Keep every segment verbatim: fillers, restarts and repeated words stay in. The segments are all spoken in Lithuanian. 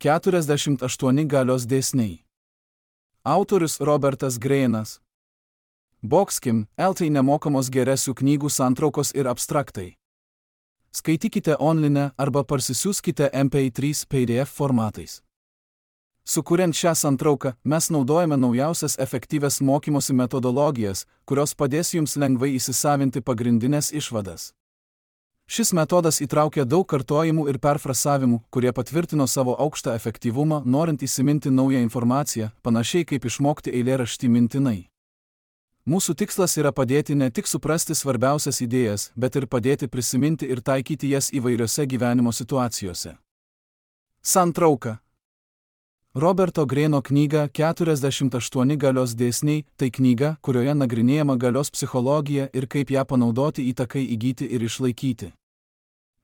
keturiasdešimt aštuoni galios dėsniai. Autorius Robertas Greinas. Boxkim, L T nemokamos geresių knygų santraukos ir abstraktai. Skaitykite online arba parsisiųskite M P trys P D F formatais. Sukuriant šią santrauką, mes naudojame naujausias efektyvias mokymosi metodologijas, kurios padės jums lengvai įsisavinti pagrindinės išvadas. Šis metodas įtraukia daug kartojimų ir perfrasavimų, kurie patvirtino savo aukštą efektyvumą, norint įsiminti naują informaciją, panašiai kaip išmokti eilėraštį mintinai. Mūsų tikslas yra padėti ne tik suprasti svarbiausias idėjas, bet ir padėti prisiminti ir taikyti jas įvairiose gyvenimo situacijose. Santrauka. Roberto Greino knyga keturiasdešimt aštuoni galios dėsniai – tai knyga, kurioje nagrinėjama galios psichologija ir kaip ją panaudoti įtakai įgyti ir išlaikyti.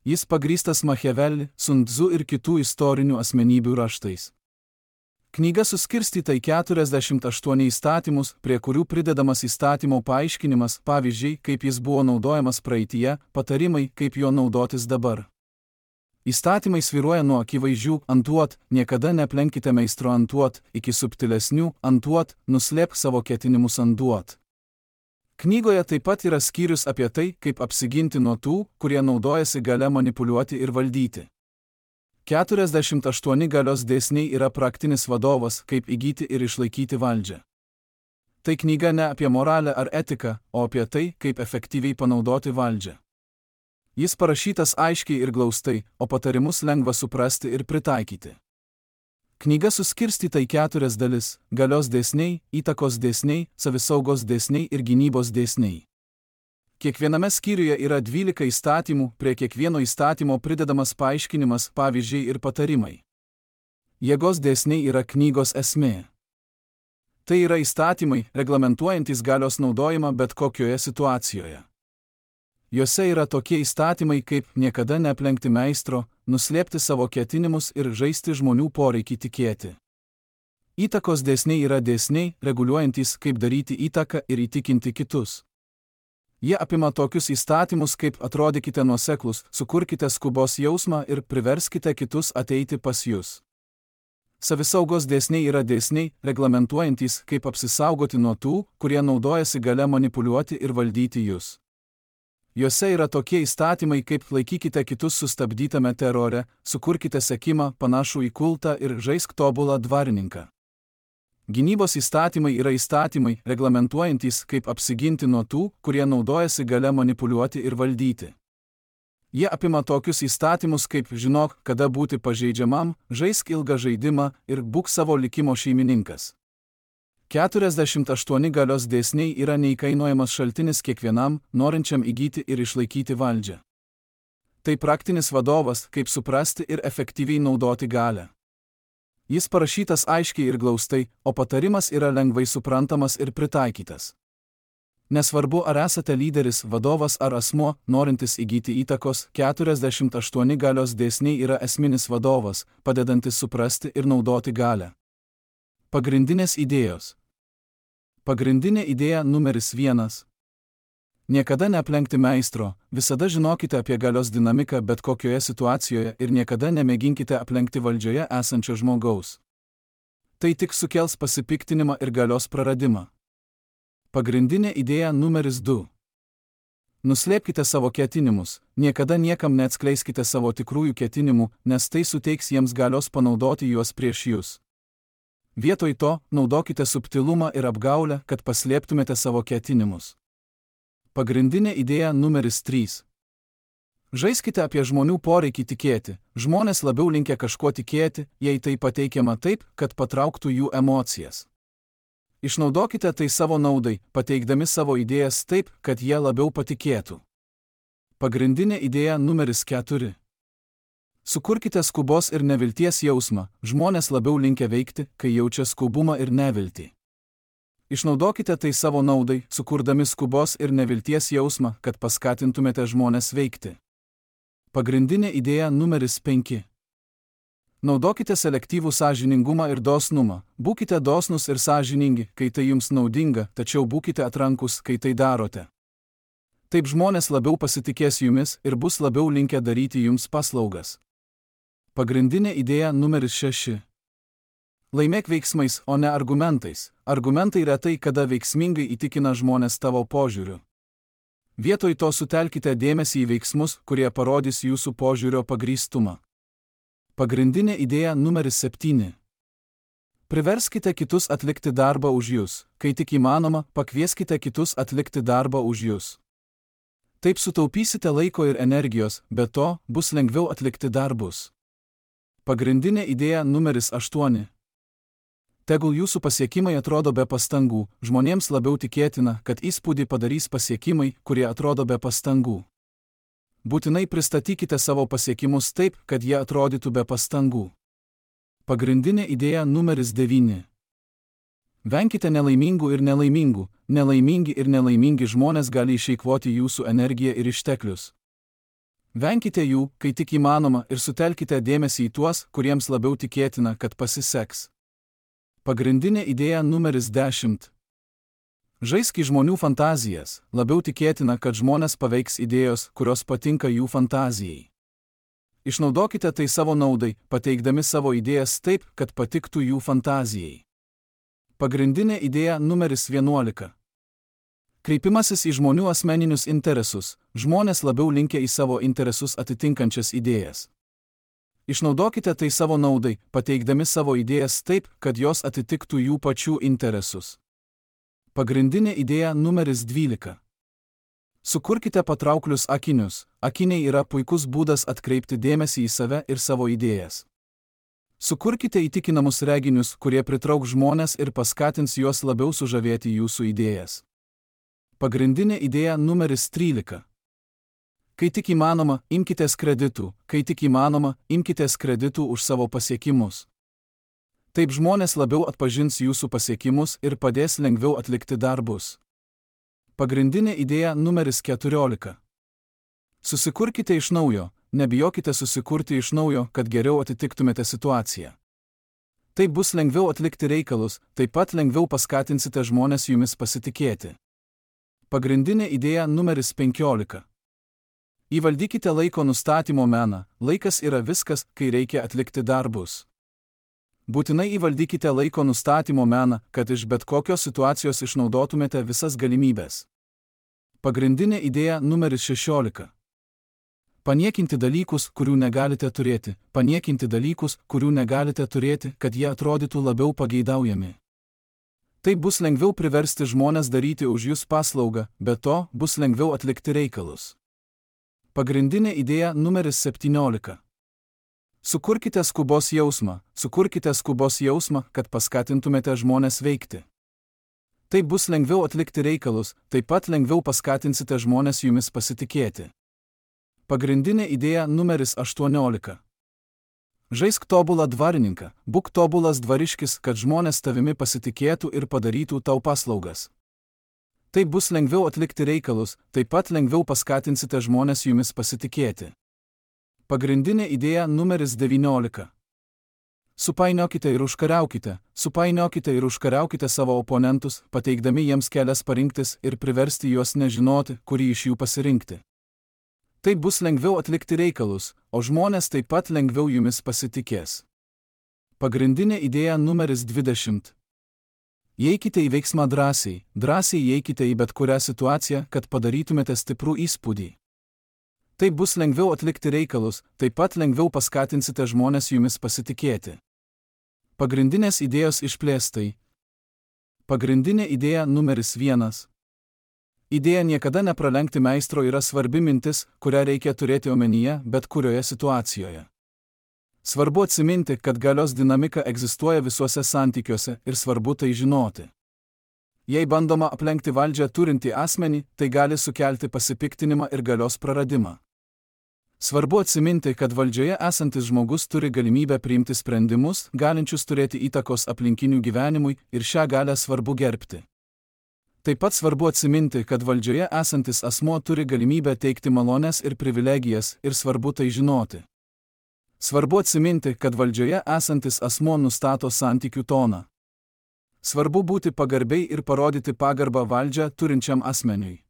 Jis pagrįstas Machiavelli, Sun Tzu ir kitų istorinių asmenybių raštais. Knyga suskirstyta į keturiasdešimt aštuoni įstatymus, prie kurių pridedamas įstatymo paaiškinimas, pavyzdžiai, kaip jis buvo naudojamas praeityje, patarimai, kaip jo naudotis dabar. Įstatymai svyruoja nuo akivaizdžių antuot, niekada neaplenkite meistro antuot, iki subtilesnių antuot, nuslėpk savo ketinimus antuot. Knygoje taip pat yra skyrius apie tai, kaip apsiginti nuo tų, kurie naudojasi galia manipuliuoti ir valdyti. keturiasdešimt aštuoni galios dėsniai yra praktinis vadovas, kaip įgyti ir išlaikyti valdžią. Tai knyga ne apie moralę ar etiką, o apie tai, kaip efektyviai panaudoti valdžią. Jis parašytas aiškiai ir glaustai, o patarimus lengva suprasti ir pritaikyti. Knyga suskirstyta į keturias dalis – galios dėsniai, įtakos dėsniai, savisaugos dėsniai ir gynybos dėsniai. Kiekviename skyriuje yra dvylika įstatymų, prie kiekvieno įstatymo pridedamas paaiškinimas, pavyzdžiai ir patarimai. Jėgos dėsniai yra knygos esmė. Tai yra įstatymai, reglamentuojantys galios naudojimą bet kokioje situacijoje. Juose yra tokie įstatymai kaip niekada neaplenkti meistro, nuslėpti savo ketinimus ir žaisti žmonių poreikį tikėti. Įtakos dėsniai yra dėsniai, reguliuojantys, kaip daryti įtaką ir įtikinti kitus. Jie apima tokius įstatymus kaip atrodykite nuoseklus, sukurkite skubos jausmą ir priverskite kitus ateiti pas jus. Savisaugos dėsniai yra dėsniai, reglamentuojantys, kaip apsisaugoti nuo tų, kurie naudojasi galia manipuliuoti ir valdyti jūs. Juose yra tokie įstatymai kaip laikykite kitus sustabdytame terore, sukurkite sekimą, panašų į kultą ir žaisk tobulą dvarininką. Gynybos įstatymai yra įstatymai, reglamentuojantys, kaip apsiginti nuo tų, kurie naudojasi galia manipuliuoti ir valdyti. Jie apima tokius įstatymus kaip žinok, kada būti pažeidžiamam, žaisk ilgą žaidimą ir būk savo likimo šeimininkas. keturiasdešimt aštuoni galios dėsniai yra neįkainojamas šaltinis kiekvienam, norinčiam įgyti ir išlaikyti valdžią. Tai praktinis vadovas, kaip suprasti ir efektyviai naudoti galią. Jis parašytas aiškiai ir glaustai, o patarimas yra lengvai suprantamas ir pritaikytas. Nesvarbu, ar esate lyderis, vadovas ar asmuo, norintis įgyti įtakos, keturiasdešimt aštuoni galios dėsniai yra esminis vadovas, padedantis suprasti ir naudoti galią. Pagrindinės idėjos. Pagrindinė idėja numeris vienas. Niekada neaplenkti meistro, visada žinokite apie galios dinamiką bet kokioje situacijoje ir niekada nemėginkite aplenkti valdžioje esančio žmogaus. Tai tik sukels pasipiktinimą ir galios praradimą. Pagrindinė idėja numeris du. Nuslėpkite savo ketinimus, niekada niekam neatskleiskite savo tikrųjų ketinimų, nes tai suteiks jiems galios panaudoti juos prieš jūs. Vietoj to, naudokite subtilumą ir apgaulę, kad paslėptumėte savo ketinimus. Pagrindinė idėja numeris trys. Žaiskite apie žmonių poreikį tikėti. Žmonės labiau linkę kažkuo tikėti, jei tai pateikiama taip, kad patrauktų jų emocijas. Išnaudokite tai savo naudai, pateikdami savo idėjas taip, kad jie labiau patikėtų. Pagrindinė idėja numeris keturi. Sukurkite skubos ir nevilties jausmą, žmonės labiau linkę veikti, kai jaučia skubumą ir neviltį. Išnaudokite tai savo naudai, sukurdami skubos ir nevilties jausmą, kad paskatintumėte žmonės veikti. Pagrindinė idėja numeris penki. Naudokite selektyvų sąžiningumą ir dosnumą, būkite dosnus ir sąžiningi, kai tai jums naudinga, tačiau būkite atrankus, kai tai darote. Taip žmonės labiau pasitikės jumis ir bus labiau linkę daryti jums paslaugas. Pagrindinė idėja numeris šeši. Laimėk veiksmais, o ne argumentais. Argumentai retai kada veiksmingai įtikina žmonės tavo požiūriu. Vietoj to sutelkite dėmesį į veiksmus, kurie parodys jūsų požiūrio pagrįstumą. Pagrindinė idėja numeris septyni. Priverskite kitus atlikti darbą už jūs. Kai tik įmanoma, pakvieskite kitus atlikti darbą už jūs. Taip sutaupysite laiko ir energijos, be to bus lengviau atlikti darbus. Pagrindinė idėja numeris aštuoni. Tegul jūsų pasiekimai atrodo be pastangų, žmonėms labiau tikėtina, kad įspūdį padarys pasiekimai, kurie atrodo be pastangų. Būtinai pristatykite savo pasiekimus taip, kad jie atrodytų be pastangų. Pagrindinė idėja numeris devyni. Venkite nelaimingų ir nelaimingų, nelaimingi ir nelaimingi žmonės gali išeikvoti jūsų energiją ir išteklius. Venkite jų, kai tik įmanoma, ir sutelkite dėmesį į tuos, kuriems labiau tikėtina, kad pasiseks. Pagrindinė idėja numeris dešimt. Žaisk į žmonių fantazijas, labiau tikėtina, kad žmonės paveiks idėjos, kurios patinka jų fantazijai. Išnaudokite tai savo naudai, pateikdami savo idėjas taip, kad patiktų jų fantazijai. Pagrindinė idėja numeris vienuolika. Kreipimasis į žmonių asmeninius interesus. Žmonės labiau linkę į savo interesus atitinkančias idėjas. Išnaudokite tai savo naudai, pateikdami savo idėjas taip, kad jos atitiktų jų pačių interesus. Pagrindinė idėja numeris dvylika. Sukurkite patrauklius akinius. Akiniai yra puikus būdas atkreipti dėmesį į save ir savo idėjas. Sukurkite įtikinamus reginius, kurie pritrauks žmonės ir paskatins juos labiau sužavėti jūsų idėjas. Pagrindinė idėja numeris trylika. Kai tik įmanoma, imkitės kreditų, kai tik įmanoma, imkitės kreditų už savo pasiekimus. Taip žmonės labiau atpažins jūsų pasiekimus ir padės lengviau atlikti darbus. Pagrindinė idėja numeris keturiolika. Susikurkite iš naujo, nebijokite susikurti iš naujo, kad geriau atitiktumėte situaciją. Taip bus lengviau atlikti reikalus, taip pat lengviau paskatinsite žmonės jumis pasitikėti. Pagrindinė idėja numeris penkiolika. Įvaldykite laiko nustatymo meną. Laikas yra viskas, kai reikia atlikti darbus. Būtinai įvaldykite laiko nustatymo meną, kad iš bet kokios situacijos išnaudotumėte visas galimybės. Pagrindinė idėja numeris šešiolika. Paniekinti dalykus, kurių negalite turėti. Paniekinti dalykus, kurių negalite turėti, kad jie atrodytų labiau pageidaujami. Taip bus lengviau priversti žmonės daryti už jūs paslaugą, be to bus lengviau atlikti reikalus. Pagrindinė idėja numeris septyniolika. Sukurkite skubos jausmą, sukurkite skubos jausmą, kad paskatintumėte žmonės veikti. Taip bus lengviau atlikti reikalus, taip pat lengviau paskatinsite žmonės jumis pasitikėti. Pagrindinė idėja numeris aštuoniolika. Žaisk tobulą dvarininką, būk tobulas dvariškis, kad žmonės tavimi pasitikėtų ir padarytų tau paslaugas. Taip bus lengviau atlikti reikalus, taip pat lengviau paskatinsite žmonės jumis pasitikėti. Pagrindinė idėja numeris devyniolika. Supainiokite ir užkariaukite, supainiokite ir užkariaukite savo oponentus, pateikdami jiems kelias parinktis ir priversti juos nežinoti, kurį iš jų pasirinkti. Taip bus lengviau atlikti reikalus, o žmonės taip pat lengviau jumis pasitikės. Pagrindinė idėja numeris dvidešimt. Įeikite į veiksmą drąsiai, drąsiai įeikite į bet kurią situaciją, kad padarytumėte stiprų įspūdį. Taip bus lengviau atlikti reikalus, taip pat lengviau paskatinsite žmonės jumis pasitikėti. Pagrindinės idėjos išplėstai. Pagrindinė idėja numeris vienas. Idėja niekada nepralenkti meistro yra svarbi mintis, kurią reikia turėti omenyje bet kurioje situacijoje. Svarbu atsiminti, kad galios dinamika egzistuoja visuose santykiuose ir svarbu tai žinoti. Jei bandoma aplenkti valdžią turintį asmenį, tai gali sukelti pasipiktinimą ir galios praradimą. Svarbu atsiminti, kad valdžioje esantis žmogus turi galimybę priimti sprendimus, galinčius turėti įtakos aplinkinių gyvenimui, ir šią galią svarbu gerbti. Taip pat svarbu atsiminti, kad valdžioje esantis asmuo turi galimybę teikti malones ir privilegijas, ir svarbu tai žinoti. Svarbu atsiminti, kad valdžioje esantis asmuo nustato santykių toną. Svarbu būti pagarbiai ir parodyti pagarbą valdžią turinčiam asmeniui.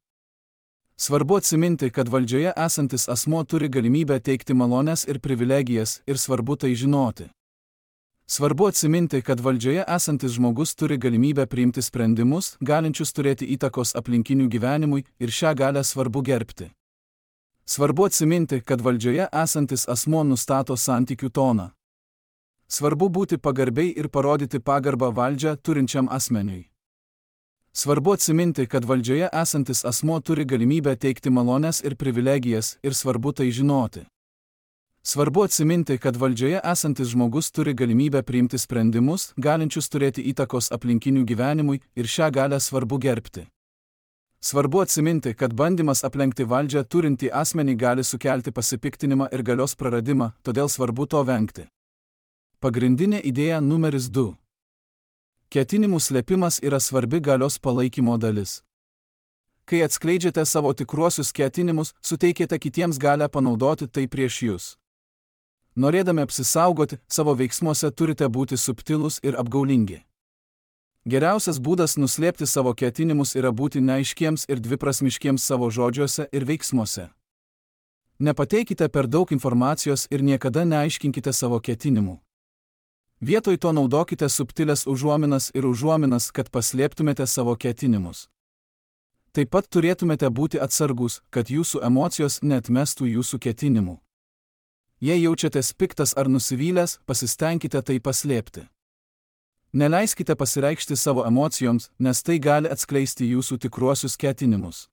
Svarbu atsiminti, kad valdžioje esantis asmuo turi galimybę teikti malones ir privilegijas ir svarbu tai žinoti. Svarbu atsiminti, kad valdžioje esantis žmogus turi galimybę priimti sprendimus, galinčius turėti įtakos aplinkinių gyvenimui ir šią galią svarbu gerbti. Svarbu atsiminti, kad valdžioje esantis asmuo nustato santykių toną. Svarbu būti pagarbiai ir parodyti pagarbą valdžią turinčiam asmeniui. Svarbu atsiminti, kad valdžioje esantis asmuo turi galimybę teikti malones ir privilegijas ir svarbu tai žinoti. Svarbu atsiminti, kad valdžioje esantis žmogus turi galimybę priimti sprendimus, galinčius turėti įtakos aplinkinių gyvenimui ir šią galią svarbu gerbti. Svarbu atsiminti, kad bandymas aplenkti valdžią turintį asmenį gali sukelti pasipiktinimą ir galios praradimą, todėl svarbu to vengti. Pagrindinė idėja numeris du. Ketinimų slėpimas yra svarbi galios palaikymo dalis. Kai atskleidžiate savo tikruosius ketinimus, suteikėte kitiems galią panaudoti tai prieš jūs. Norėdami apsisaugoti, savo veiksmuose turite būti subtilūs ir apgaulingi. Geriausias būdas nuslėpti savo ketinimus yra būti neaiškiems ir dviprasmiškiems savo žodžiuose ir veiksmuose. Nepateikite per daug informacijos ir niekada neaiškinkite savo ketinimų. Vietoj to naudokite subtilės užuominas ir užuominas, kad paslėptumėte savo ketinimus. Taip pat turėtumėte būti atsargus, kad jūsų emocijos neatmestų jūsų ketinimų. Jei jaučiatės piktas ar nusivylęs, pasistengkite tai paslėpti. Neleiskite pasireikšti savo emocijoms, nes tai gali atskleisti jūsų tikruosius ketinimus.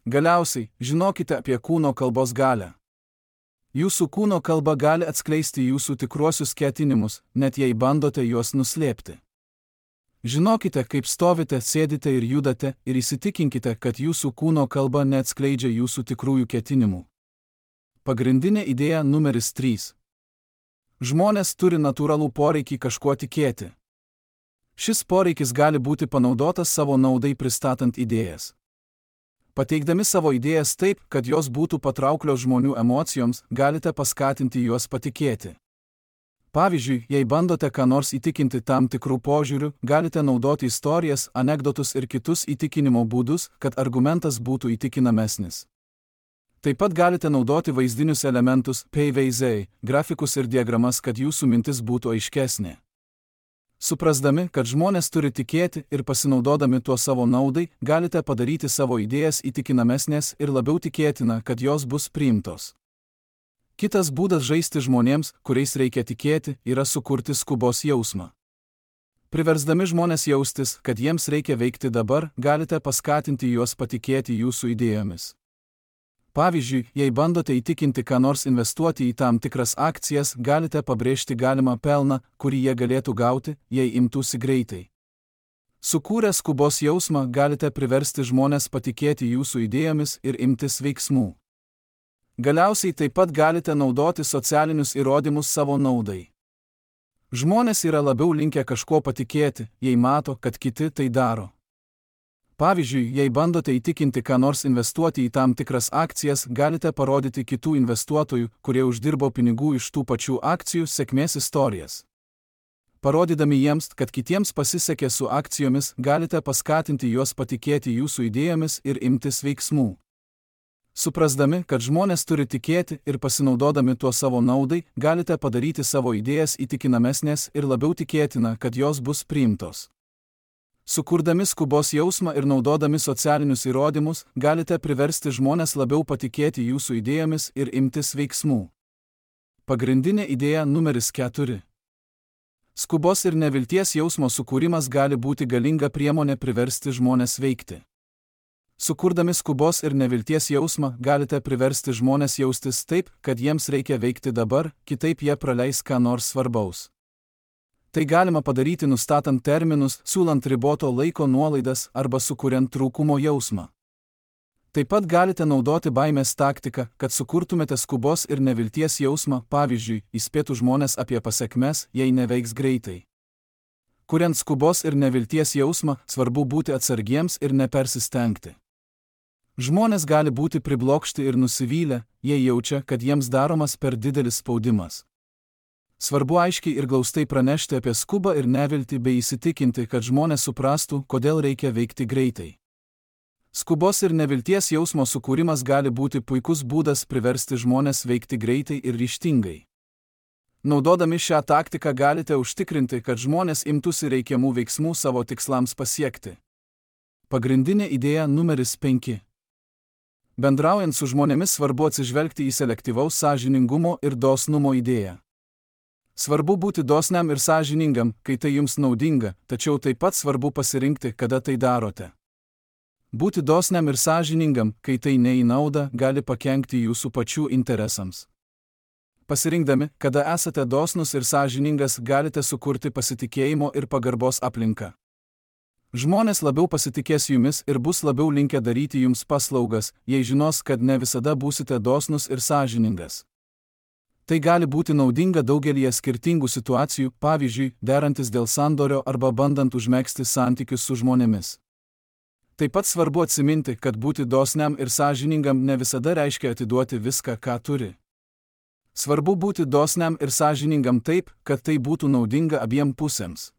Galiausiai, žinokite apie kūno kalbos galią. Jūsų kūno kalba gali atskleisti jūsų tikruosius ketinimus, net jei bandote juos nuslėpti. Žinokite, kaip stovite, sėdite ir judate ir įsitikinkite, kad jūsų kūno kalba neatskleidžia jūsų tikrųjų ketinimų. Pagrindinė idėja numeris trys. Žmonės turi natūralų poreikį kažkuo tikėti. Šis poreikis gali būti panaudotas savo naudai pristatant idėjas. Pateikdami savo idėjas taip, kad jos būtų patrauklios žmonių emocijoms, galite paskatinti juos patikėti. Pavyzdžiui, jei bandote ką nors įtikinti tam tikrų požiūrių, galite naudoti istorijas, anekdotus ir kitus įtikinimo būdus, kad argumentas būtų įtikinamesnis. Taip pat galite naudoti vaizdinius elementus, paveizdai, grafikus ir diagramas, kad jūsų mintis būtų aiškesnė. Suprasdami, kad žmonės turi tikėti ir pasinaudodami tuo savo naudai, galite padaryti savo idėjas įtikinamesnės ir labiau tikėtina, kad jos bus priimtos. Kitas būdas žaisti žmonėms, kuriais reikia tikėti, yra sukurti skubos jausmą. Priversdami žmonės jaustis, kad jiems reikia veikti dabar, galite paskatinti juos patikėti jūsų idėjomis. Pavyzdžiui, jei bandote įtikinti ką nors investuoti į tam tikras akcijas, galite pabrėžti galimą pelną, kurį jie galėtų gauti, jei imtųsi greitai. Sukūrę skubos jausmą, galite priversti žmonės patikėti jūsų idėjomis ir imtis veiksmų. Galiausiai taip pat galite naudoti socialinius įrodymus savo naudai. Žmonės yra labiau linkę kažko patikėti, jei mato, kad kiti tai daro. Pavyzdžiui, jei bandote įtikinti ką nors investuoti į tam tikras akcijas, galite parodyti kitų investuotojų, kurie uždirbo pinigų iš tų pačių akcijų, sėkmės istorijas. Parodydami jiems, kad kitiems pasisekė su akcijomis, galite paskatinti juos patikėti jūsų idėjomis ir imtis veiksmų. Suprasdami, kad žmonės turi tikėti ir pasinaudodami tuo savo naudai, galite padaryti savo idėjas įtikinamesnės ir labiau tikėtina, kad jos bus priimtos. Sukurdami skubos jausmą ir naudodami socialinius įrodymus, galite priversti žmonės labiau patikėti jūsų idėjomis ir imtis veiksmų. Pagrindinė idėja numeris keturi. Skubos ir nevilties jausmo sukūrimas gali būti galinga priemonė priversti žmonės veikti. Sukurdami skubos ir nevilties jausmą, galite priversti žmonės jaustis taip, kad jiems reikia veikti dabar, kitaip jie praleis ką nors svarbaus. Tai galima padaryti nustatant terminus, siūlant riboto laiko nuolaidas arba sukuriant trūkumo jausmą. Taip pat galite naudoti baimės taktiką, kad sukurtumėte skubos ir nevilties jausmą, pavyzdžiui, įspėtų žmonės apie pasekmes, jei neveiks greitai. Kuriant skubos ir nevilties jausmą, svarbu būti atsargiems ir nepersistengti. Žmonės gali būti priblokšti ir nusivylę, jei jaučia, kad jiems daromas per didelis spaudimas. Svarbu aiškiai ir glaustai pranešti apie skubą ir neviltį bei įsitikinti, kad žmonės suprastų, kodėl reikia veikti greitai. Skubos ir nevilties jausmo sukūrimas gali būti puikus būdas priversti žmones veikti greitai ir ryžtingai. Naudodami šią taktiką galite užtikrinti, kad žmonės imtųsi reikiamų veiksmų savo tikslams pasiekti. Pagrindinė idėja numeris penki. Bendraujant su žmonėmis svarbu atsižvelgti į selektyvaus sąžiningumo ir dosnumo idėją. Svarbu būti dosniam ir sąžiningam, kai tai jums naudinga, tačiau taip pat svarbu pasirinkti, kada tai darote. Būti dosniam ir sąžiningam, kai tai ne į naudą, gali pakenkti jūsų pačių interesams. Pasirinkdami, kada esate dosnus ir sąžiningas, galite sukurti pasitikėjimo ir pagarbos aplinką. Žmonės labiau pasitikės jumis ir bus labiau linkę daryti jums paslaugas, jei žinos, kad ne visada būsite dosnus ir sąžiningas. Tai gali būti naudinga daugelyje skirtingų situacijų, pavyzdžiui, derantis dėl sandorio arba bandant užmegzti santykius su žmonėmis. Taip pat svarbu atsiminti, kad būti dosniam ir sąžiningam ne visada reiškia atiduoti viską, ką turi. Svarbu būti dosniam ir sąžiningam taip, kad tai būtų naudinga abiem pusėms.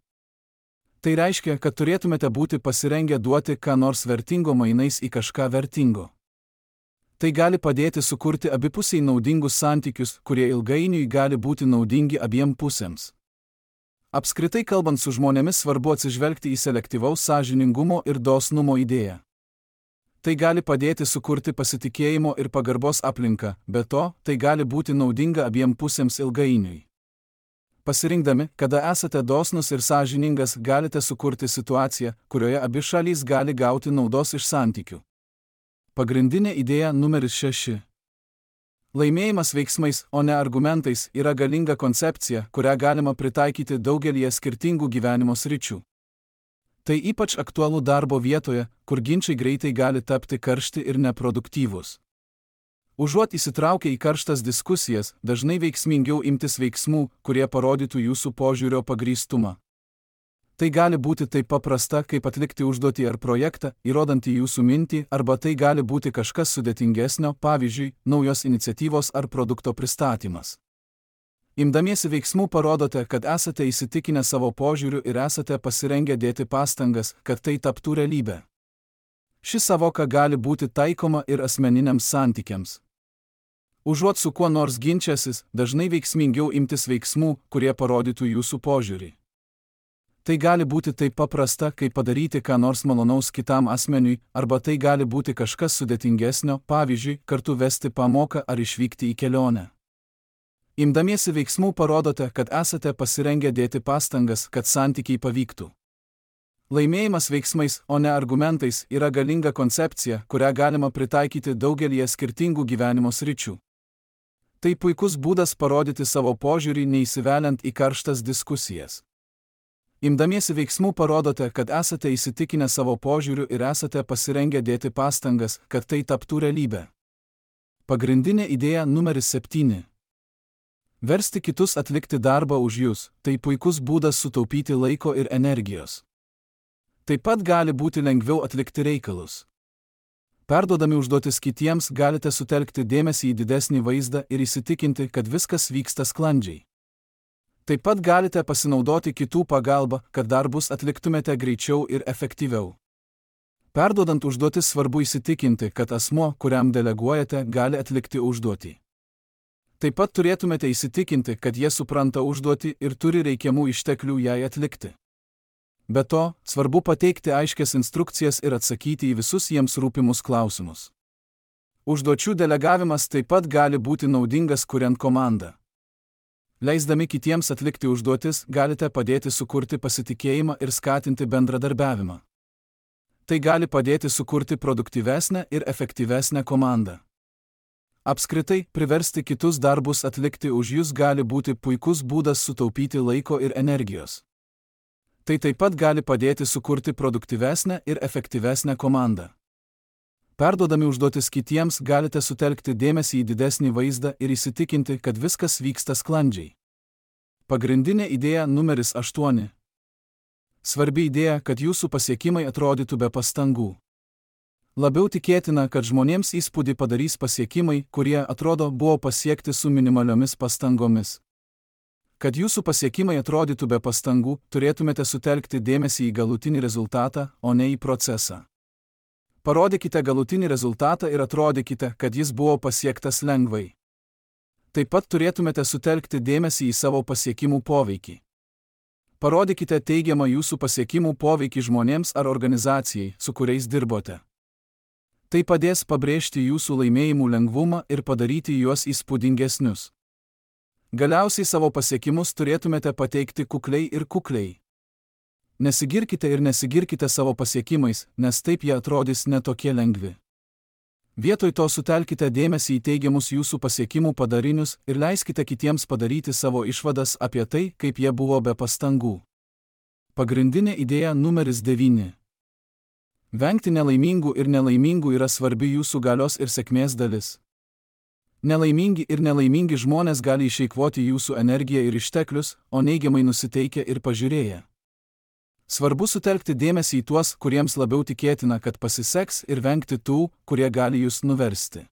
Tai reiškia, kad turėtumėte būti pasirengę duoti ką nors vertingo mainais į kažką vertingo. Tai gali padėti sukurti abipusiai naudingus santykius, kurie ilgainiui gali būti naudingi abiem pusėms. Apskritai kalbant su žmonėmis svarbu atsižvelgti į selektyvaus sąžiningumo ir dosnumo idėją. Tai gali padėti sukurti pasitikėjimo ir pagarbos aplinką, be to, tai gali būti naudinga abiem pusėms ilgainiui. Pasirinkdami, kada esate dosnus ir sąžiningas, galite sukurti situaciją, kurioje abi šalys gali gauti naudos iš santykių. Pagrindinė idėja numeris šeši. Laimėjimas veiksmais, o ne argumentais, yra galinga koncepcija, kurią galima pritaikyti daugelyje skirtingų gyvenimo sričių. Tai ypač aktualu darbo vietoje, kur ginčai greitai gali tapti karšti ir neproduktyvūs. Užuot įsitraukę į karštas diskusijas, dažnai veiksmingiau imtis veiksmų, kurie parodytų jūsų požiūrio pagrįstumą. Tai gali būti taip paprasta, kaip atlikti užduotį ar projektą, įrodantį jūsų mintį, arba tai gali būti kažkas sudėtingesnio, pavyzdžiui, naujos iniciatyvos ar produkto pristatymas. Imdamiesi veiksmų parodote, kad esate įsitikinę savo požiūriu ir esate pasirengę dėti pastangas, kad tai taptų realybė. Ši savoka gali būti taikoma ir asmeniniams santykiams. Užuot su kuo nors ginčiasis, dažnai veiksmingiau imtis veiksmų, kurie parodytų jūsų požiūrį. Tai gali būti taip paprasta, kaip padaryti ką nors malonaus kitam asmeniui, arba tai gali būti kažkas sudėtingesnio, pavyzdžiui, kartu vesti pamoką ar išvykti į kelionę. Imdamiesi veiksmų parodote, kad esate pasirengę dėti pastangas, kad santykiai pavyktų. Laimėjimas veiksmais, o ne argumentais, yra galinga koncepcija, kurią galima pritaikyti daugelyje skirtingų gyvenimo sričių. Tai puikus būdas parodyti savo požiūrį neįsiveliant į karštas diskusijas. Imdamiesi veiksmų parodote, kad esate įsitikinę savo požiūriu ir esate pasirengę dėti pastangas, kad tai taptų realybė. Pagrindinė idėja numeris septyni. Versti kitus atlikti darbą už jūs – tai puikus būdas sutaupyti laiko ir energijos. Taip pat gali būti lengviau atlikti reikalus. Perduodami užduotis kitiems galite sutelkti dėmesį į didesnį vaizdą ir įsitikinti, kad viskas vyksta sklandžiai. Taip pat galite pasinaudoti kitų pagalbą, kad darbus atliktumėte greičiau ir efektyviau. Perduodant užduotis svarbu įsitikinti, kad asmuo, kuriam deleguojate, gali atlikti užduotį. Taip pat turėtumėte įsitikinti, kad jie supranta užduotį ir turi reikiamų išteklių jai atlikti. Be to, svarbu pateikti aiškias instrukcijas ir atsakyti į visus jiems rūpimus klausimus. Užduočių delegavimas taip pat gali būti naudingas kuriant komandą. Leisdami kitiems atlikti užduotis, galite padėti sukurti pasitikėjimą ir skatinti bendradarbiavimą. Tai gali padėti sukurti produktyvesnę ir efektyvesnę komandą. Apskritai, priversti kitus darbus atlikti už jūs gali būti puikus būdas sutaupyti laiko ir energijos. Tai taip pat gali padėti sukurti produktyvesnę ir efektyvesnę komandą. Perduodami užduotis kitiems galite sutelkti dėmesį į didesnį vaizdą ir įsitikinti, kad viskas vyksta sklandžiai. Pagrindinė idėja numeris aštuoni. Svarbi idėja, kad jūsų pasiekimai atrodytų be pastangų. Labiau tikėtina, kad žmonėms įspūdį padarys pasiekimai, kurie, atrodo, buvo pasiekti su minimaliomis pastangomis. Kad jūsų pasiekimai atrodytų be pastangų, turėtumėte sutelkti dėmesį į galutinį rezultatą, o ne į procesą. Parodykite galutinį rezultatą ir atrodykite, kad jis buvo pasiektas lengvai. Taip pat turėtumėte sutelkti dėmesį į savo pasiekimų poveikį. Parodykite teigiamą jūsų pasiekimų poveikį žmonėms ar organizacijai, su kuriais dirbote. Tai padės pabrėžti jūsų laimėjimų lengvumą ir padaryti juos įspūdingesnius. Galiausiai savo pasiekimus turėtumėte pateikti kukliai ir kukliai. Nesigirkite ir nesigirkite savo pasiekimais, nes taip jie atrodys netokie lengvi. Vietoj to sutelkite dėmesį į teigiamus jūsų pasiekimų padarinius ir leiskite kitiems padaryti savo išvadas apie tai, kaip jie buvo be pastangų. Pagrindinė idėja numeris devyni. Vengti nelaimingų ir nelaimingų yra svarbi jūsų galios ir sėkmės dalis. Nelaimingi ir nelaimingi žmonės gali išeikvoti jūsų energiją ir išteklius, o neigiamai nusiteikę ir pažiūrėję. Svarbu sutelkti dėmesį į tuos, kuriems labiau tikėtina, kad pasiseks, ir vengti tų, kurie gali jūs nuversti.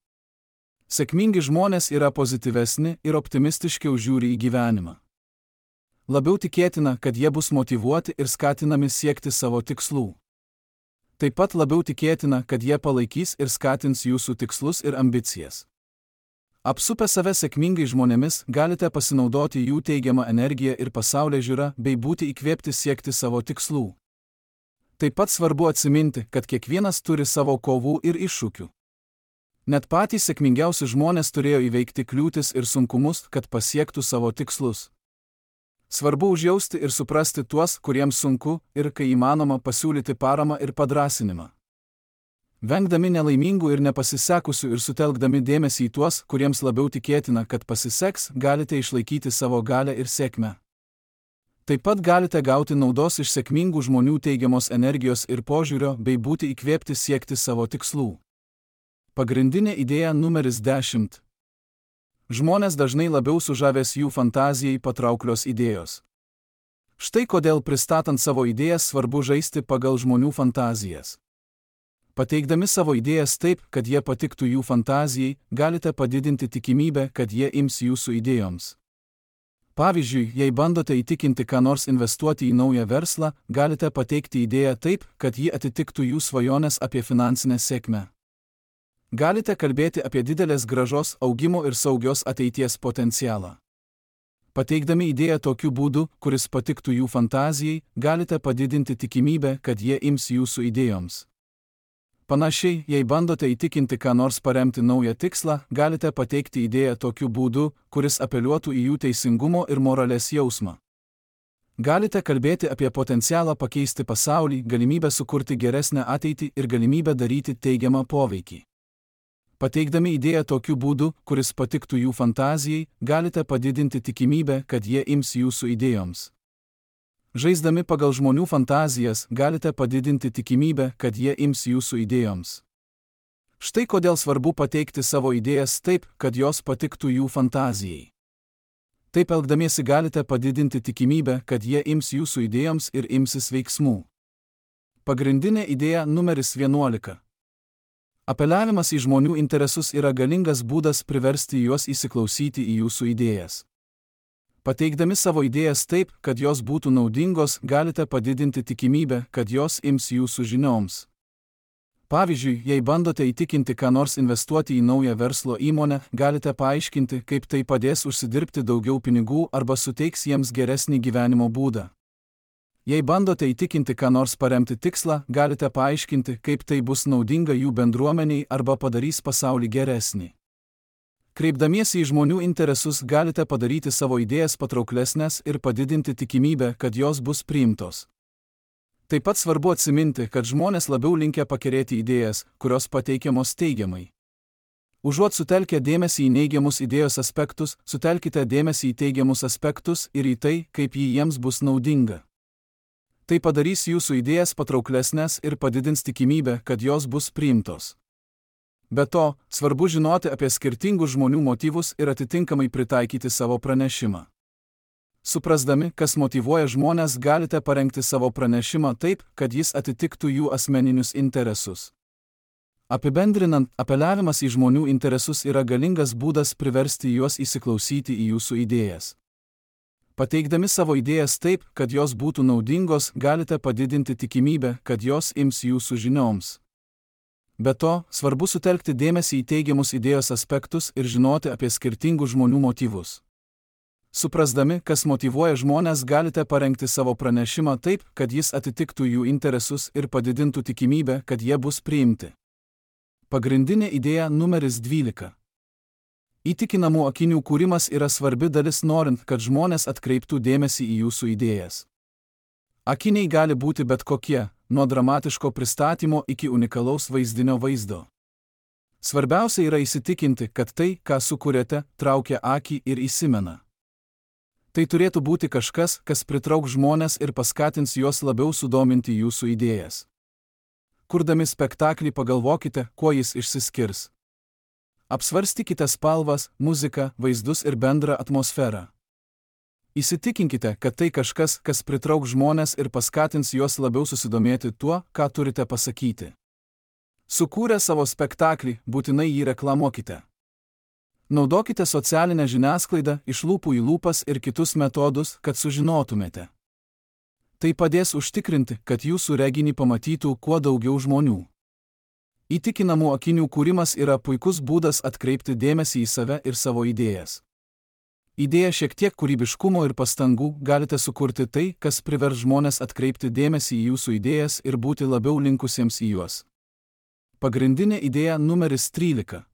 Sėkmingi žmonės yra pozityvesni ir optimistiškiau žiūri į gyvenimą. Labiau tikėtina, kad jie bus motyvuoti ir skatinami siekti savo tikslų. Taip pat labiau tikėtina, kad jie palaikys ir skatins jūsų tikslus ir ambicijas. Apsupę save sėkmingai žmonėmis galite pasinaudoti jų teigiamą energiją ir pasaulėžiūrą bei būti įkvėpti siekti savo tikslų. Taip pat svarbu atsiminti, kad kiekvienas turi savo kovų ir iššūkių. Net patys sėkmingiausi žmonės turėjo įveikti kliūtis ir sunkumus, kad pasiektų savo tikslus. Svarbu užjausti ir suprasti tuos, kuriems sunku, ir kai įmanoma pasiūlyti paramą ir padrąsinimą. Vengdami nelaimingų ir nepasisekusių ir sutelkdami dėmesį į tuos, kuriems labiau tikėtina, kad pasiseks, galite išlaikyti savo galią ir sėkmę. Taip pat galite gauti naudos iš sėkmingų žmonių teigiamos energijos ir požiūrio bei būti įkvėpti siekti savo tikslų. Pagrindinė idėja numeris dešimt. Žmonės dažnai labiau sužavės jų fantazijai patrauklios idėjos. Štai kodėl pristatant savo idėjas svarbu žaisti pagal žmonių fantazijas. Pateikdami savo idėjas taip, kad jie patiktų jų fantazijai, galite padidinti tikimybę, kad jie ims jūsų idėjoms. Pavyzdžiui, jei bandote įtikinti ką nors investuoti į naują verslą, galite pateikti idėją taip, kad ji atitiktų jų svajonės apie finansinę sėkmę. Galite kalbėti apie didelės grąžos, augimo ir saugios ateities potencialą. Pateikdami idėją tokiu būdu, kuris patiktų jų fantazijai, galite padidinti tikimybę, kad jie ims jūsų idėjoms. Panašiai, jei bandote įtikinti ką nors paremti naują tikslą, galite pateikti idėją tokiu būdu, kuris apeliuotų į jų teisingumo ir moralės jausmą. Galite kalbėti apie potencialą pakeisti pasaulį, galimybę sukurti geresnę ateitį ir galimybę daryti teigiamą poveikį. Pateikdami idėją tokiu būdu, kuris patiktų jų fantazijai, galite padidinti tikimybę, kad jie ims jūsų idėjoms. Žaisdami pagal žmonių fantazijas, galite padidinti tikimybę, kad jie ims jūsų idėjoms. Štai kodėl svarbu pateikti savo idėjas taip, kad jos patiktų jų fantazijai. Taip elgdamiesi galite padidinti tikimybę, kad jie ims jūsų idėjoms ir imsis veiksmų. Pagrindinė idėja numeris vienuolika. Apeliavimas į žmonių interesus yra galingas būdas priversti juos įsiklausyti į jūsų idėjas. Pateikdami savo idėjas taip, kad jos būtų naudingos, galite padidinti tikimybę, kad jos ims jūsų žinioms. Pavyzdžiui, jei bandote įtikinti ką nors investuoti į naują verslo įmonę, galite paaiškinti, kaip tai padės užsidirbti daugiau pinigų arba suteiks jiems geresnį gyvenimo būdą. Jei bandote įtikinti ką nors paremti tikslą, galite paaiškinti, kaip tai bus naudinga jų bendruomeniai arba padarys pasaulį geresnį. Kreipdamiesi į žmonių interesus, galite padaryti savo idėjas patrauklesnės ir padidinti tikimybę, kad jos bus priimtos. Taip pat svarbu atsiminti, kad žmonės labiau linkę pakerėti idėjas, kurios pateikiamos teigiamai. Užuot sutelkę dėmesį į neigiamus idėjos aspektus, sutelkite dėmesį į teigiamus aspektus ir į tai, kaip ji jiems bus naudinga. Tai padarys jūsų idėjas patrauklesnės ir padidins tikimybę, kad jos bus priimtos. Be to, svarbu žinoti apie skirtingus žmonių motyvus ir atitinkamai pritaikyti savo pranešimą. Suprasdami, kas motyvuoja žmones, galite parengti savo pranešimą taip, kad jis atitiktų jų asmeninius interesus. Apibendrinant, apeliavimas į žmonių interesus yra galingas būdas priversti juos įsiklausyti į jūsų idėjas. Pateikdami savo idėjas taip, kad jos būtų naudingos, galite padidinti tikimybę, kad jos ims jūsų žinioms. Be to, svarbu sutelkti dėmesį į teigiamus idėjos aspektus ir žinoti apie skirtingų žmonių motyvus. Suprasdami, kas motyvuoja žmones, galite parengti savo pranešimą taip, kad jis atitiktų jų interesus ir padidintų tikimybę, kad jie bus priimti. Pagrindinė idėja numeris dvylika. Įtikinamų akinių kūrimas yra svarbi dalis norint, kad žmonės atkreiptų dėmesį į jūsų idėjas. Akiniai gali būti bet kokie, nuo dramatiško pristatymo iki unikalaus vaizdinio vaizdo. Svarbiausia yra įsitikinti, kad tai, ką sukūrėte, traukia akį ir įsimena. Tai turėtų būti kažkas, kas pritrauks žmones ir paskatins juos labiau sudominti jūsų idėjas. Kurdami spektaklį pagalvokite, kuo jis išsiskirs. Apsvarstykite spalvas, muziką, vaizdus ir bendrą atmosferą. Įsitikinkite, kad tai kažkas, kas pritrauks žmones ir paskatins juos labiau susidomėti tuo, ką turite pasakyti. Sukūrę savo spektaklį, būtinai jį reklamuokite. Naudokite socialinę žiniasklaidą, iš lūpų į lūpas ir kitus metodus, kad sužinotumėte. Tai padės užtikrinti, kad jūsų reginį pamatytų kuo daugiau žmonių. Įtikinamų akinių kūrimas yra puikus būdas atkreipti dėmesį į save ir savo idėjas. Įdėję šiek tiek kūrybiškumo ir pastangų, galite sukurti tai, kas privers žmones atkreipti dėmesį į jūsų idėjas ir būti labiau linkusiems į juos. Pagrindinė idėja numeris trylika.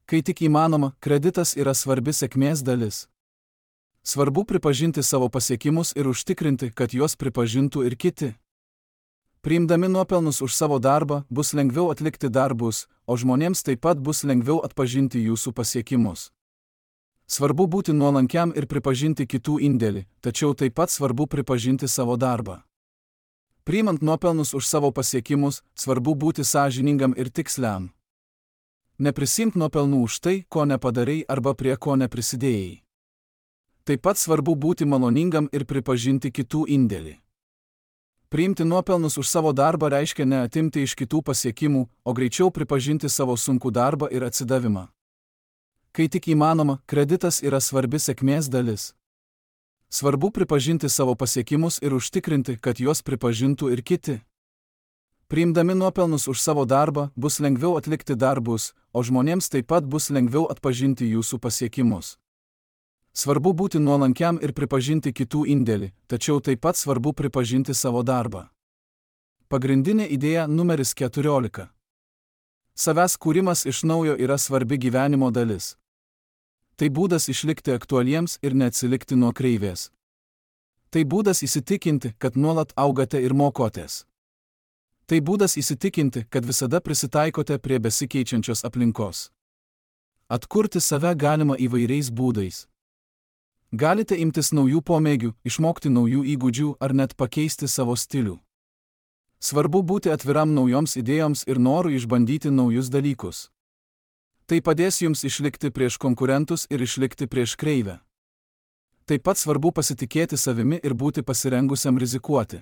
Kai tik įmanoma, kreditas yra svarbi sėkmės dalis. Svarbu pripažinti savo pasiekimus ir užtikrinti, kad juos pripažintų ir kiti. Priimdami nuopelnus už savo darbą, bus lengviau atlikti darbus, o žmonėms taip pat bus lengviau atpažinti jūsų pasiekimus. Svarbu būti nuolankiam ir pripažinti kitų indėlį, tačiau taip pat svarbu pripažinti savo darbą. Priimant nuopelnus už savo pasiekimus, svarbu būti sąžiningam ir tiksliam. Neprisimk nuopelnų už tai, ko nepadarei arba prie ko neprisidėjai. Taip pat svarbu būti maloningam ir pripažinti kitų indėlį. Priimti nuopelnus už savo darbą reiškia ne atimti iš kitų pasiekimų, o greičiau pripažinti savo sunkų darbą ir atsidavimą. Kai tik įmanoma, kreditas yra svarbi sėkmės dalis. Svarbu pripažinti savo pasiekimus ir užtikrinti, kad juos pripažintų ir kiti. Priimdami nuopelnus už savo darbą, bus lengviau atlikti darbus, o žmonėms taip pat bus lengviau atpažinti jūsų pasiekimus. Svarbu būti nuolankiam ir pripažinti kitų indėlį, tačiau taip pat svarbu pripažinti savo darbą. Pagrindinė idėja numeris keturiolika. Savęs kūrimas iš naujo yra svarbi gyvenimo dalis. Tai būdas išlikti aktualiems ir neatsilikti nuo kreivės. Tai būdas įsitikinti, kad nuolat augate ir mokotės. Tai būdas įsitikinti, kad visada prisitaikote prie besikeičiančios aplinkos. Atkurti save galima įvairiais būdais. Galite imtis naujų pomėgių, išmokti naujų įgūdžių ar net pakeisti savo stilių. Svarbu būti atviram naujoms idėjoms ir norui išbandyti naujus dalykus. Tai padės jums išlikti prieš konkurentus ir išlikti prieš kreivę. Taip pat svarbu pasitikėti savimi ir būti pasirengusiam rizikuoti.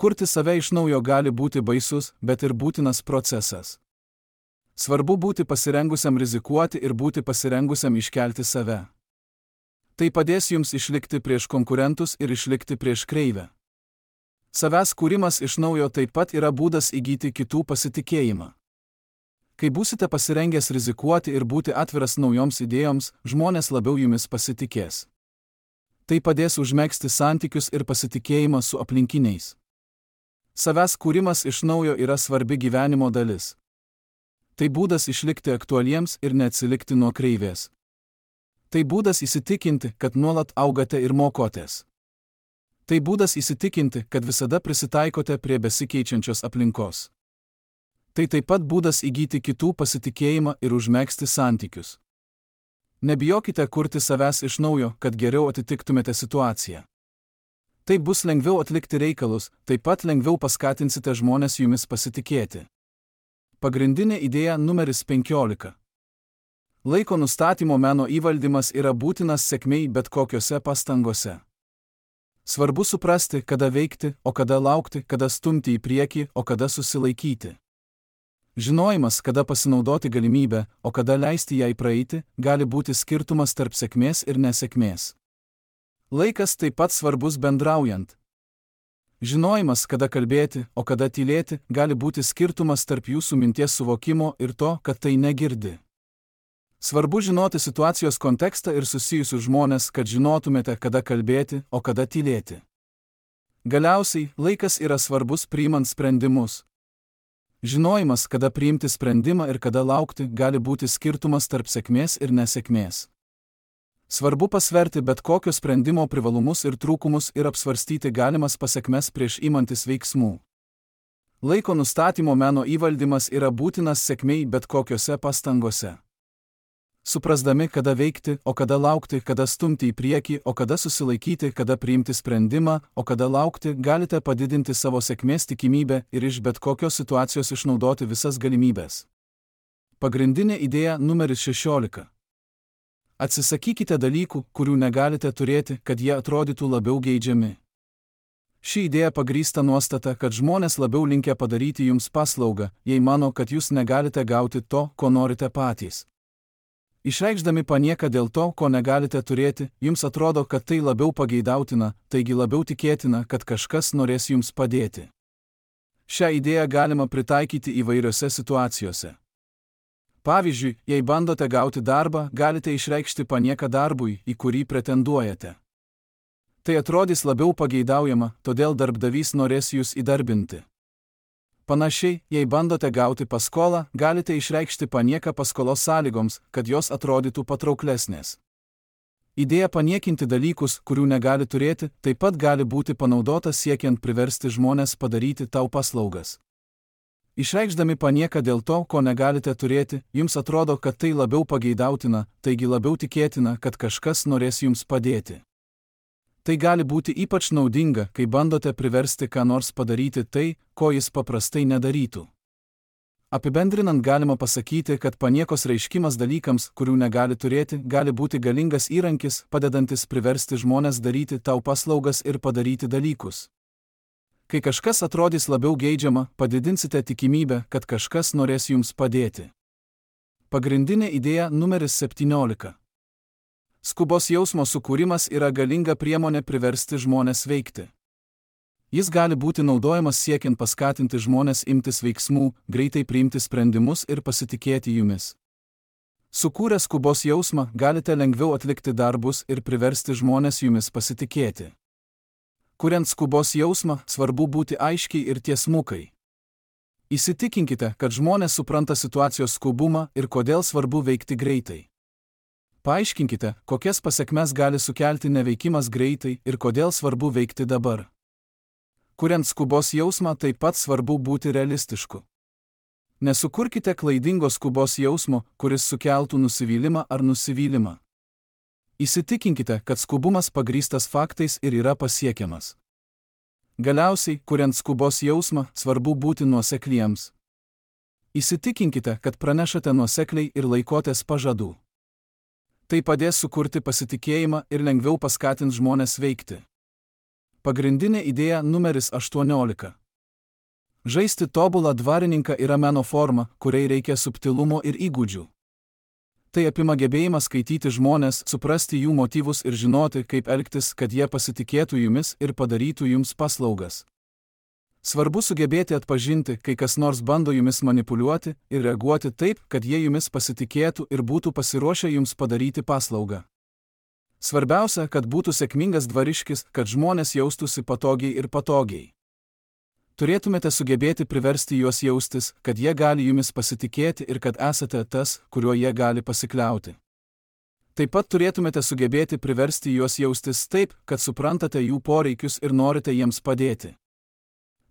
Kurti save iš naujo gali būti baisus, bet ir būtinas procesas. Svarbu būti pasirengusiam rizikuoti ir būti pasirengusiam iškelti save. Tai padės jums išlikti prieš konkurentus ir išlikti prieš kreivę. Savęs kūrimas iš naujo taip pat yra būdas įgyti kitų pasitikėjimą. Kai būsite pasirengęs rizikuoti ir būti atviras naujoms idėjoms, žmonės labiau jumis pasitikės. Tai padės užmegzti santykius ir pasitikėjimą su aplinkiniais. Savęs kūrimas iš naujo yra svarbi gyvenimo dalis. Tai būdas išlikti aktualiems ir neatsilikti nuo kreivės. Tai būdas įsitikinti, kad nuolat augate ir mokotės. Tai būdas įsitikinti, kad visada prisitaikote prie besikeičiančios aplinkos. Tai taip pat būdas įgyti kitų pasitikėjimą ir užmegzti santykius. Nebijokite kurti savęs iš naujo, kad geriau atitiktumėte situaciją. Tai bus lengviau atlikti reikalus, taip pat lengviau paskatinsite žmones jumis pasitikėti. Pagrindinė idėja numeris penkiolika. Laiko nustatymo meno įvaldymas yra būtinas sėkmei bet kokiose pastangose. Svarbu suprasti, kada veikti, o kada laukti, kada stumti į priekį, o kada susilaikyti. Žinojimas, kada pasinaudoti galimybę, o kada leisti jai praeiti, gali būti skirtumas tarp sėkmės ir nesėkmės. Laikas taip pat svarbus bendraujant. Žinojimas, kada kalbėti, o kada tylėti, gali būti skirtumas tarp jūsų minties suvokimo ir to, kad tai negirdi. Svarbu žinoti situacijos kontekstą ir susijusius žmonės, kad žinotumėte, kada kalbėti, o kada tylėti. Galiausiai, laikas yra svarbus priimant sprendimus. Žinojimas, kada priimti sprendimą ir kada laukti, gali būti skirtumas tarp sėkmės ir nesėkmės. Svarbu pasverti bet kokio sprendimo privalumus ir trūkumus ir apsvarstyti galimas pasekmes prieš imantis veiksmų. Laiko nustatymo meno įvaldymas yra būtinas sėkmei bet kokiose pastangose. Suprasdami, kada veikti, o kada laukti, kada stumti į priekį, o kada susilaikyti, kada priimti sprendimą, o kada laukti, galite padidinti savo sėkmės tikimybę ir iš bet kokios situacijos išnaudoti visas galimybės. Pagrindinė idėja numeris šešiolika. Atsisakykite dalykų, kurių negalite turėti, kad jie atrodytų labiau geidžiami. Ši idėja pagrįsta nuostata, kad žmonės labiau linkę padaryti jums paslaugą, jei mano, kad jūs negalite gauti to, ko norite patys. Išreikšdami panieką dėl to, ko negalite turėti, jums atrodo, kad tai labiau pageidautina, taigi labiau tikėtina, kad kažkas norės jums padėti. Šią idėją galima pritaikyti įvairiose situacijose. Pavyzdžiui, jei bandote gauti darbą, galite išreikšti panieką darbui, į kurį pretenduojate. Tai atrodys labiau pageidaujama, todėl darbdavys norės jūs įdarbinti. Panašiai, jei bandote gauti paskolą, galite išreikšti panieką paskolos sąlygoms, kad jos atrodytų patrauklesnės. Idėja paniekinti dalykus, kurių negali turėti, taip pat gali būti panaudota siekiant priversti žmones padaryti tau paslaugas. Išreikšdami panieką dėl to, ko negalite turėti, jums atrodo, kad tai labiau pageidautina, taigi labiau tikėtina, kad kažkas norės jums padėti. Tai gali būti ypač naudinga, kai bandote priversti ką nors padaryti tai, ko jis paprastai nedarytų. Apibendrinant galima pasakyti, kad paniekos reiškimas dalykams, kurių negali turėti, gali būti galingas įrankis, padedantis priversti žmones daryti tau paslaugas ir padaryti dalykus. Kai kažkas atrodys labiau geidžiama, padidinsite tikimybę, kad kažkas norės jums padėti. Pagrindinė idėja numeris septyniolika. Skubos jausmo sukūrimas yra galinga priemonė priversti žmones veikti. Jis gali būti naudojamas siekiant paskatinti žmones imtis veiksmų, greitai priimti sprendimus ir pasitikėti jumis. Sukūrę skubos jausmą, galite lengviau atlikti darbus ir priversti žmones jumis pasitikėti. Kuriant skubos jausmą, svarbu būti aiškiai ir tiesmukai. Įsitikinkite, kad žmonės supranta situacijos skubumą ir kodėl svarbu veikti greitai. Paaiškinkite, kokias pasekmes gali sukelti neveikimas greitai ir kodėl svarbu veikti dabar. Kuriant skubos jausmą, taip pat svarbu būti realistišku. Nesukurkite klaidingo skubos jausmo, kuris sukeltų nusivylimą ar nusivylimą. Įsitikinkite, kad skubumas pagrįstas faktais ir yra pasiekiamas. Galiausiai, kuriant skubos jausmą, svarbu būti nuosekliems. Įsitikinkite, kad pranešate nuosekliai ir laikotės pažadų. Tai padės sukurti pasitikėjimą ir lengviau paskatins žmones veikti. Pagrindinė idėja numeris aštuoniolika. Žaisti tobulą dvarininką yra meno forma, kuriai reikia subtilumo ir įgūdžių. Tai apima gebėjimą skaityti žmones, suprasti jų motyvus ir žinoti, kaip elgtis, kad jie pasitikėtų jumis ir padarytų jums paslaugas. Svarbu sugebėti atpažinti, kai kas nors bando jumis manipuliuoti ir reaguoti taip, kad jie jumis pasitikėtų ir būtų pasiruošę jums padaryti paslaugą. Svarbiausia, kad būtų sėkmingas dvariškis, kad žmonės jaustųsi patogiai ir patogiai. Turėtumėte sugebėti priversti juos jaustis, kad jie gali jumis pasitikėti ir kad esate tas, kuriuo jie gali pasikliauti. Taip pat turėtumėte sugebėti priversti juos jaustis taip, kad suprantate jų poreikius ir norite jiems padėti.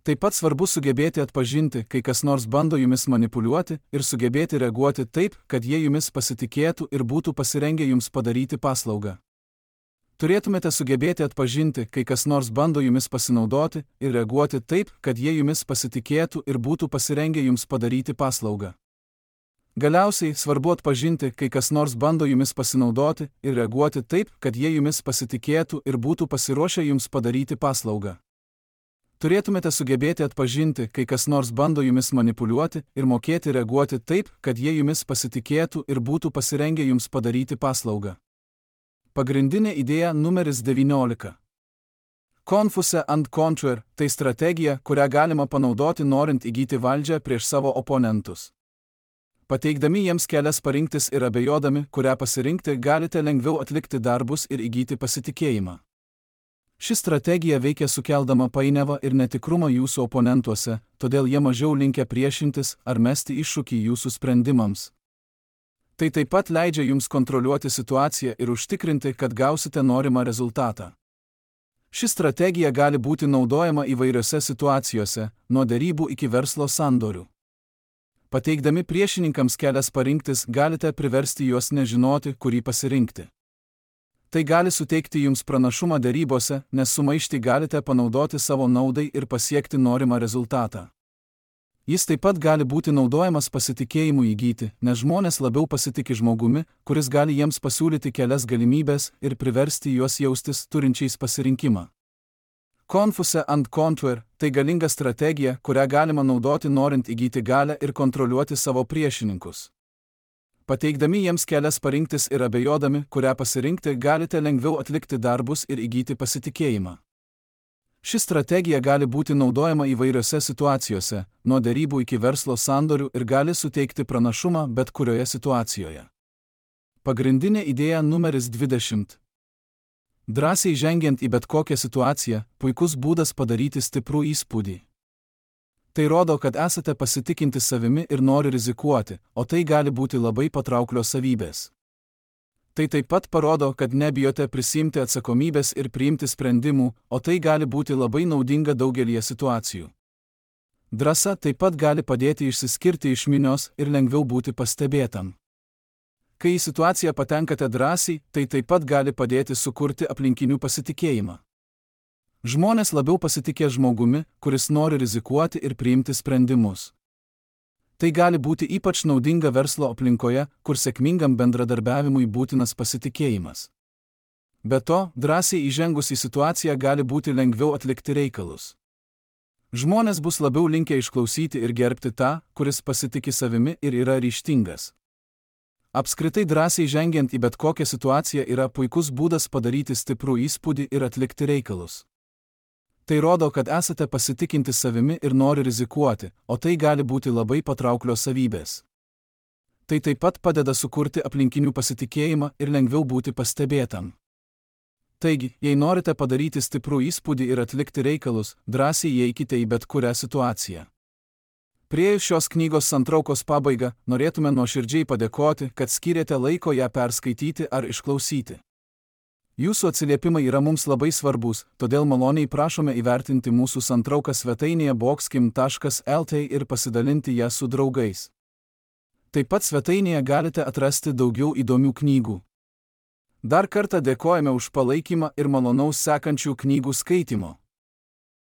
Taip pat svarbu sugebėti atpažinti, kai kas nors bando jumis manipuliuoti ir sugebėti reaguoti taip, kad jie jumis pasitikėtų ir būtų pasirengę jums padaryti paslaugą. Turėtumėte sugebėti atpažinti, kai kas nors bando jumis pasinaudoti ir reaguoti taip, kad jie jumis pasitikėtų ir būtų pasirengę jums padaryti paslaugą. Galiausiai svarbu atpažinti, kai kas nors bando jumis pasinaudoti ir reaguoti taip, kad jie jumis pasitikėtų ir būtų pasiruošę jums padaryti paslaugą. Turėtumėte sugebėti atpažinti, kai kas nors bando jumis manipuliuoti ir mokėti reaguoti taip, kad jie jumis pasitikėtų ir būtų pasirengę jums padaryti paslaugą. Pagrindinė idėja numeris devyniolika. Confuse and conquer – tai strategija, kurią galima panaudoti norint įgyti valdžią prieš savo oponentus. Pateikdami jiems kelias parinktis ir abejodami, kurią pasirinkti, galite lengviau atlikti darbus ir įgyti pasitikėjimą. Ši strategija veikia sukeldama painiavą ir netikrumą jūsų oponentuose, todėl jie mažiau linkę priešintis ar mesti iššūkį jūsų sprendimams. Tai taip pat leidžia jums kontroliuoti situaciją ir užtikrinti, kad gausite norimą rezultatą. Ši strategija gali būti naudojama įvairiose situacijose, nuo derybų iki verslo sandorių. Pateikdami priešininkams kelias parinktis, galite priversti juos nežinoti, kurį pasirinkti. Tai gali suteikti jums pranašumą derybose, nes sumaištį galite panaudoti savo naudai ir pasiekti norimą rezultatą. Jis taip pat gali būti naudojamas pasitikėjimui įgyti, nes žmonės labiau pasitikė žmogumi, kuris gali jiems pasiūlyti kelias galimybės ir priversti juos jaustis turinčiais pasirinkimą. Confuse and conquer – tai galinga strategija, kurią galima naudoti norint įgyti galią ir kontroliuoti savo priešininkus. Pateikdami jiems kelias parinktis ir abejodami, kurią pasirinkti, galite lengviau atlikti darbus ir įgyti pasitikėjimą. Ši strategija gali būti naudojama įvairiose situacijose, nuo derybų iki verslo sandorių ir gali suteikti pranašumą bet kurioje situacijoje. Pagrindinė idėja numeris dvidešimt. Drąsiai žengiant į bet kokią situaciją, puikus būdas padaryti stiprų įspūdį. Tai rodo, kad esate pasitikinti savimi ir nori rizikuoti, o tai gali būti labai patrauklios savybės. Tai taip pat parodo, kad nebijote prisimti atsakomybės ir priimti sprendimų, o tai gali būti labai naudinga daugelyje situacijų. Drąsa taip pat gali padėti išsiskirti iš minios ir lengviau būti pastebėtam. Kai į situaciją patenkate drąsiai, tai taip pat gali padėti sukurti aplinkinių pasitikėjimą. Žmonės labiau pasitikė žmogumi, kuris nori rizikuoti ir priimti sprendimus. Tai gali būti ypač naudinga verslo aplinkoje, kur sėkmingam bendradarbiavimui būtinas pasitikėjimas. Be to, drąsiai įžengus į situaciją gali būti lengviau atlikti reikalus. Žmonės bus labiau linkę išklausyti ir gerbti tą, kuris pasitiki savimi ir yra ryžtingas. Apskritai drąsiai žengiant į bet kokią situaciją yra puikus būdas padaryti stiprų įspūdį ir atlikti reikalus. Tai rodo, kad esate pasitikinti savimi ir nori rizikuoti, o tai gali būti labai patrauklios savybės. Tai taip pat padeda sukurti aplinkinių pasitikėjimą ir lengviau būti pastebėtam. Taigi, jei norite padaryti stiprų įspūdį ir atlikti reikalus, drąsiai įeikite į bet kurią situaciją. Priėjus šios knygos santraukos pabaigą, norėtume nuoširdžiai padėkoti, kad skyrėte laiko ją perskaityti ar išklausyti. Jūsų atsiliepimai yra mums labai svarbus, todėl maloniai prašome įvertinti mūsų santrauką svetainėje boxkim taškas lt ir pasidalinti ją su draugais. Taip pat svetainėje galite atrasti daugiau įdomių knygų. Dar kartą dėkojame už palaikymą ir malonaus sekančių knygų skaitimo.